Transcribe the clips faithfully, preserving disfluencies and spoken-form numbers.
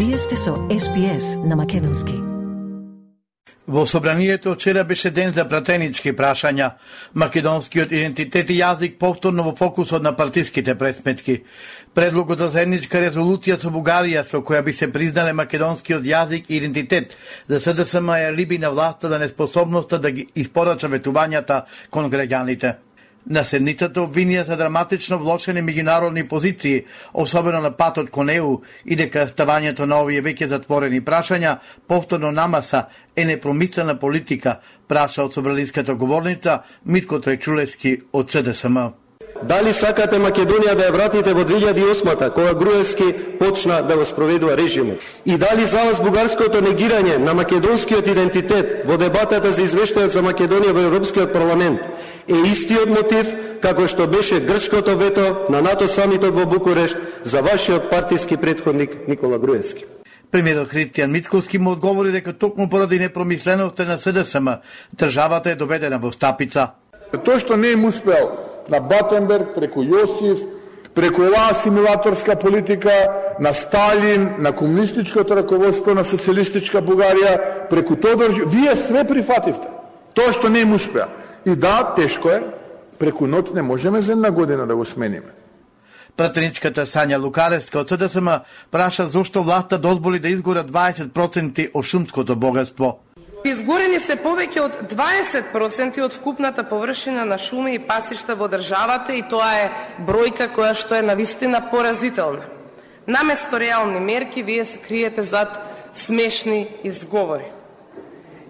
Вие сте со Ес Би Ес на македонски. Во собранието вчера беше ден за пратенички прашања. Македонскиот идентитет и јазик повторно во фокусот на партиските пресметки. Предлогот за заедничка резолуција со Бугарија со која би се признале македонскиот јазик и идентитет за Ес Де Ес Ем ја либи на власта за неспособноста да ги испорача ветувањата кон граѓаните. На седницата обвинија за драматично влошени меѓународни позиции, особено на патот кон Е У, и дека ставањето на овие веќе затворени прашања повторно намаса е непромислена политика, праша од собраниската говорница Митко Трајчулевски од Ес Де Ес Ем. Дали сакате Македонија да ја вратите во две илјади и осма, кога Груевски почна да го спроведува режимот? И дали за вас бугарското негирање на македонскиот идентитет во дебатата за извештајот за Македонија во Европскиот парламент е истиот мотив како што беше грчкото вето на НАТО самитот во Букурешт за вашиот партиски претходник Никола Груевски? Премиерот Христијан Мицкоски му одговори дека токму поради непромисленоста на Ес Де Ес Ем државата е доведена во стапица. Тоа што не им успел на Батенберг, преку Јосиф, преку оваа асимилаторска политика, на Сталин, на комунистичкото раководство на социјалистичка Бугарија, преку Тодор, вие све прифативте. Тоа што не им успеа. И да, тешко е, преку ноќ не можеме за една година да го смениме. Пратеничката Сања Лукаревска од Ес Де Ес Ем праша зошто власта дозволи да изгорат дваесет проценти од шумското богатство. Изгорени се повеќе од дваесет проценти од вкупната површина на шуми и пасишта во државата и тоа е бројка која што е навистина поразителна. Наместо реални мерки, вие се криете зад смешни изговори.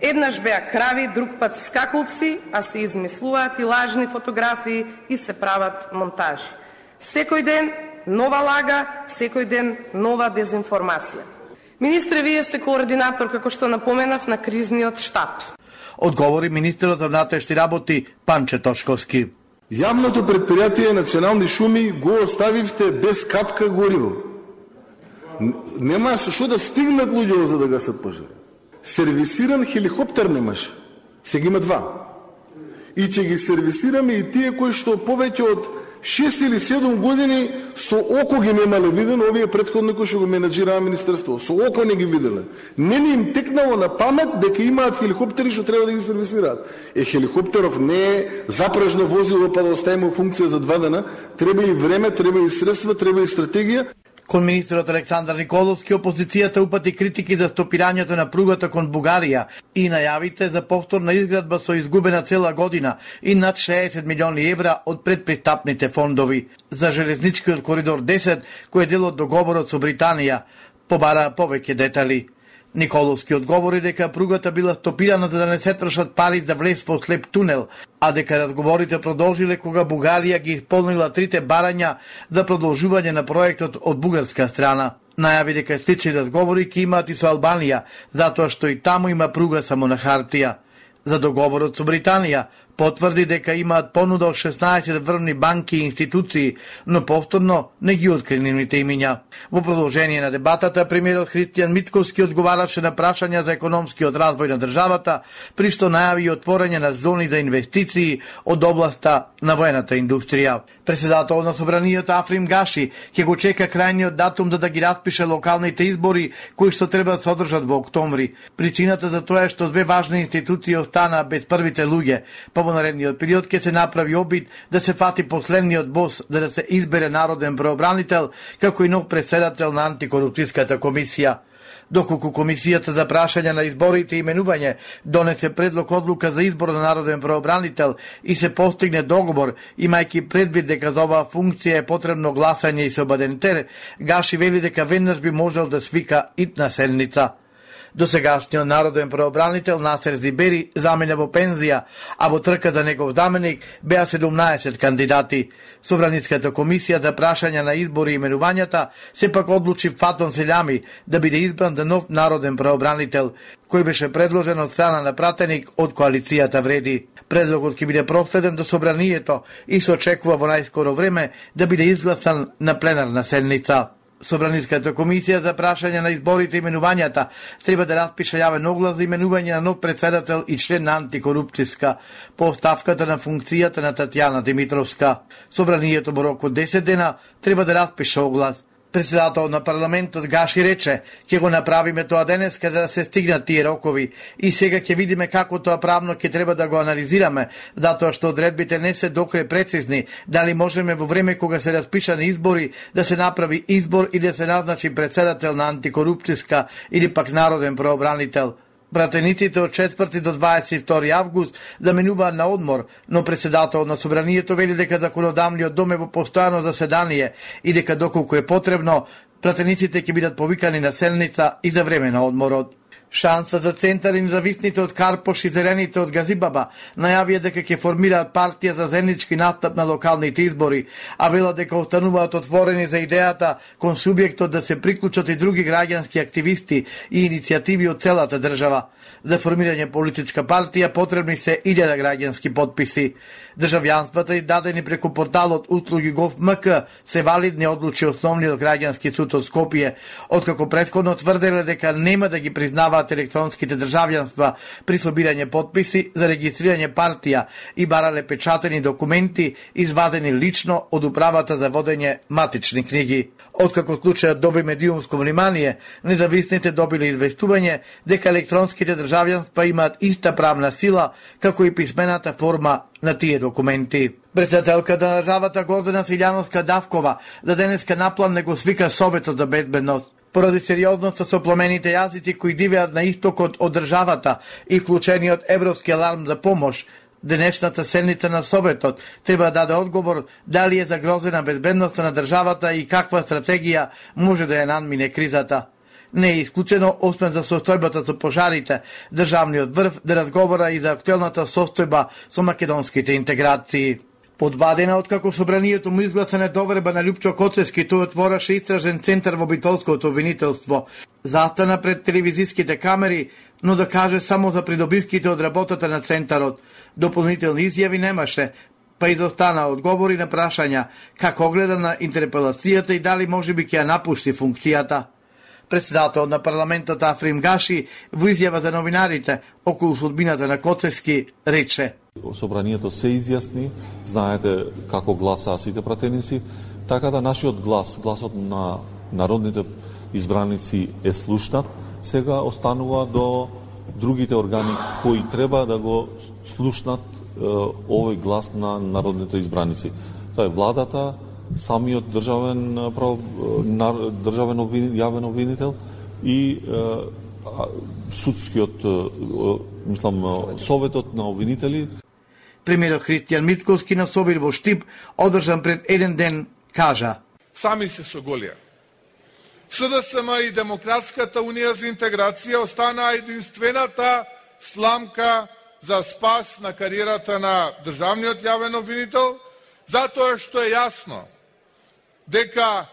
Еднаш беа крави, друг пат скакулци, а се измислуваат и лажни фотографии и се прават монтажи. Секој ден нова лага, секој ден нова дезинформација. Министре, вие сте координатор, како што напоменав, на кризниот штаб. Одговори министерот за внатрешни работи Панче Тошковски. Јавното предпријатие Национални шуми го оставивте без капка гориво. Нема со што да стигнат луѓе за да гасат пожари. Сервисиран хеликоптер немаше. Сега има два. И ќе ги сервисираме и тие кои што повеќе од шест или седум години со око ги немале видено овие претходни кои што го менаџираа министерство. Со око не ги виделе. Не ни им текнало на памет дека имаат хеликоптери што треба да ги сервисираат. Е, хеликоптеров не е запражно возило па да оставиме функција за два дена. Треба и време, треба и средства, треба и стратегија. Кон министерот Александар Николовски, опозицијата упати критики за стопирањето на пругата кон Бугарија и најавите за повторна изградба со изгубена цела година и над шеесет милиони евра од предпристапните фондови. За железничкиот коридор десет, кој е дел од договорот со Британија, побара повеќе детали. Николовски одговори дека пругата била стопирана за да не се трошат пари за влез во слеп тунел, а дека разговорите продолжиле кога Бугарија ги исполнила трите барања за продолжување на проектот од бугарска страна. Најави дека слични разговори ќе имаат и со Албанија, затоа што и таму има пруга само на хартија. За договорот со Британија потврди дека имаат понуда од шеснаесет врвни банки и институции, но повторно не ги откри нивните имиња. Во продолжение на дебатата, премиерот Христијан Мицкоски одговараше на прашања за економскиот развој на државата, при што најави и отворање на зони за инвестиции од областа на воената индустрија. Председател на собранието Африм Гаши ќе го чека крајниот датум да да ги распише локалните избори кои што треба да се одржат во октомври. Причината за тоа е што две важни институции останаа без првите луѓе. Во наредниот период ќе се направи обид да се фати последниот бос за да се избере народен правобранител како и нов председател на антикорупцијската комисија. Доколку комисијата за прашање на изборите и именување донесе предлог одлука за избор на народен правобранител и се постигне договор, имајќи предвид дека за оваа функција е потребно гласање и собадентер, Гаши вели дека веднаш би можел да свика итна седница. Досегашниот народен правобранител Насер Зибери замина во пензија, а во трка за негов заменик беа седумнаесет кандидати. Собраниската комисија за прашање на избори и именувањата сепак одлучи Фатон Селјами да биде избран за нов народен правобранител, кој беше предложен од страна на пратеник од коалицијата Вреди. Предлогот ќе биде проследен до собранието и се очекува во најскоро време да биде изгласан на пленарна седница. Собраниската комисија за прашање на изборите и именувањата треба да распише јавен оглас за именување на нов председател и член на антикорупцијска по оставката на функцијата на Татјана Димитровска. Собранието во рок од десет дена треба да распише оглас. Председател на парламентот Гаши рече: "Ќе го направиме тоа денеска за да се стигнат тие рокови и сега ќе видиме како тоа правно ќе треба да го анализираме, затоа што одредбите не се докрај прецизни, дали можеме во време кога се распишани избори да се направи избор и да се назначи председател на антикорупцијска или пак народен правобранител." Пратениците од четврти до дваесет и втори август да минуваат на одмор, но председател на собранието вели дека законодавниот дом е во постојано заседание и дека доколку е потребно, пратениците ќе бидат повикани на седница и за време на одморот. Шанса за Центар и независните од Карпош и Зелените од Газибаба најавија дека ќе формираат партија за заеднички настап на локалните избори, а велат дека остануваат отворени за идејата кон субјектот да се приклучат и други граѓански активисти и иницијативи од целата држава. За формирање политичка партија потребни се илјада граѓански потписи. Државјанствата издадени преку порталот услуги Gov.mk се валидни, одлучи основниот граѓански суд од Скопје, откако претходно тврделе дека нема да ги признаваат електронските државјанства при собирање потписи за регистрирање партија и барале печатени документи извадени лично од управата за водење матични книги. Откако случајот доби медиумско внимание, независните добиле известување дека електронските државјанства имаат иста правна сила како и писмената форма на тие документи. Председателката на државата Гордана Силјановска Давкова за денеска наплан не го свика Советот за безбедност. Поради сериозноста со пламените јазици кои дивеат на истокот од државата и вклучениот европски аларм за помош, денешната седница на Советот треба да даде одговор дали е загрозена безбедноста на државата и каква стратегија може да ја надмине кризата. Не е исклучено, освен за состојбата со пожарите, државниот врв да разговара и за актуелната состојба со македонските интеграции. По два дена откако собранието му изгласа недоверба на Лјупчо Коцевски, тој отвораше истражен центар во битолското обвинителство. Застана пред телевизиските камери, но да каже само за придобивките од работата на центарот. Дополнителни изјави немаше, па изостана одговори на прашања како гледа на интерпелацијата и дали можеби ќе ја напушти функцијата. Председател на парламентот Африм Гаши во изјава за новинарите околу судбината на Коцевски рече: "Собранието се изјасни, знаете како гласаа сите пратеници, така да нашиот глас, гласот на народните избраници е слушнат, сега останува до другите органи кои треба да го слушнат е, овој глас на народните избраници. Тоа е владата, самиот државен прав, државен обвин, јавен обвинител и е, судскиот, е, мислам, советот на обвинители. Премиерот Христијан Мицковски на собир во Штип, одржан пред еден ден, кажа: "Сами се соголија. СДСМ и Демократската унија за интеграција останаа единствената сламка за спас на кариерата на државниот јавен обвинител, затоа што е јасно дека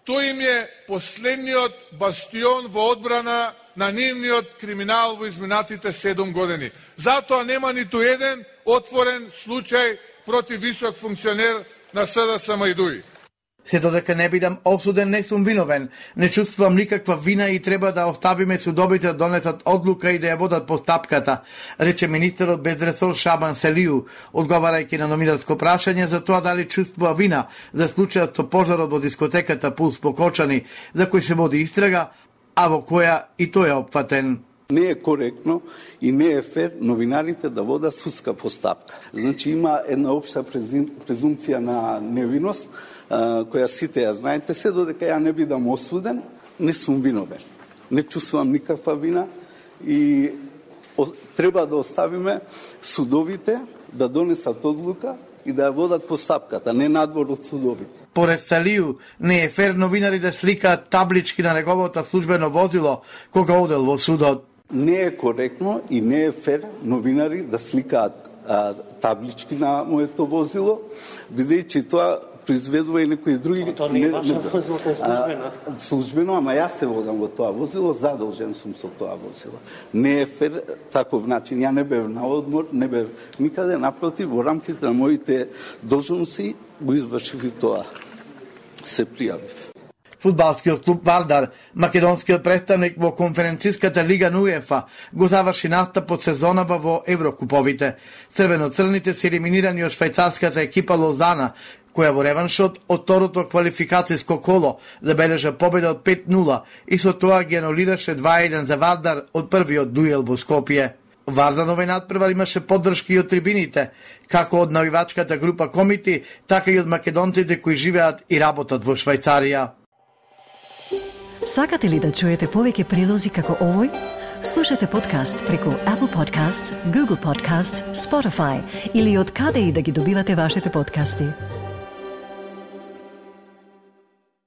тој им е последниот бастион во одбрана на нивниот криминал во изминатите седум години. Затоа нема ниту еден отворен случај против висок функционер на СДСМ и ДУИ. Се додека не бидам осуден, не сум виновен. Не чувствувам никаква вина и треба да оставиме судовите да донесат одлука и да ја водат постапката, рече министерот без ресор Шабан Селију, одговарајќи на номинарско прашање за тоа дали чувствува вина за случајот со пожарот во дискотеката Пулс по Кочани, за кој се води истрага, а во која и тој е опфатен. Не е коректно и не е фер новинарите да водат судска постапка. Значи има една општа презумција на невиност, која сите ја знаете, се додека ја не бидам осуден, не сум виновен. Не чувствувам никаква вина и треба да оставиме судовите да донесат одлука и да ја водат постапката, не надвор од судовите. Поред Салију, не е фер новинари да сликаат таблички на неговото службено возило кога одел во судот. Не е коректно и не е фер новинари да сликаат а, таблички на моето возило, бидејќи тоа произведува и некои други... Тоа не е ваше возило, тоа е службено. А, службено, ама јас се водам во тоа возило, задолжен сум со тоа возило. Не е фер таков начин. Ја не бев на одмор, не бев никаде, напротив, во рамките на моите должности го извршив и тоа. Се пријавив. Фудбалскиот клуб Вардар, македонскиот представник во конференциската лига на УЕФА, го заврши настапот сезонава во Еврокуповите. Црвено-црните се елиминирани од швајцарската екипа Лозана, која во реваншот од второто квалификацијско коло забележа победа од пет нула и со тоа ги анулираше два еден за Вардар од првиот дуел во Скопје. Варданове надпревар имаше поддршки и од трибините, како од навивачката група Комити, така и од македонците кои живеат и работат во Швајцарија. Сакате ли да чуете повеќе прилози како овој? Слушате подкаст преку Apple Podcasts, Google Podcasts, Spotify или од каде и да ги добивате вашите подкасти.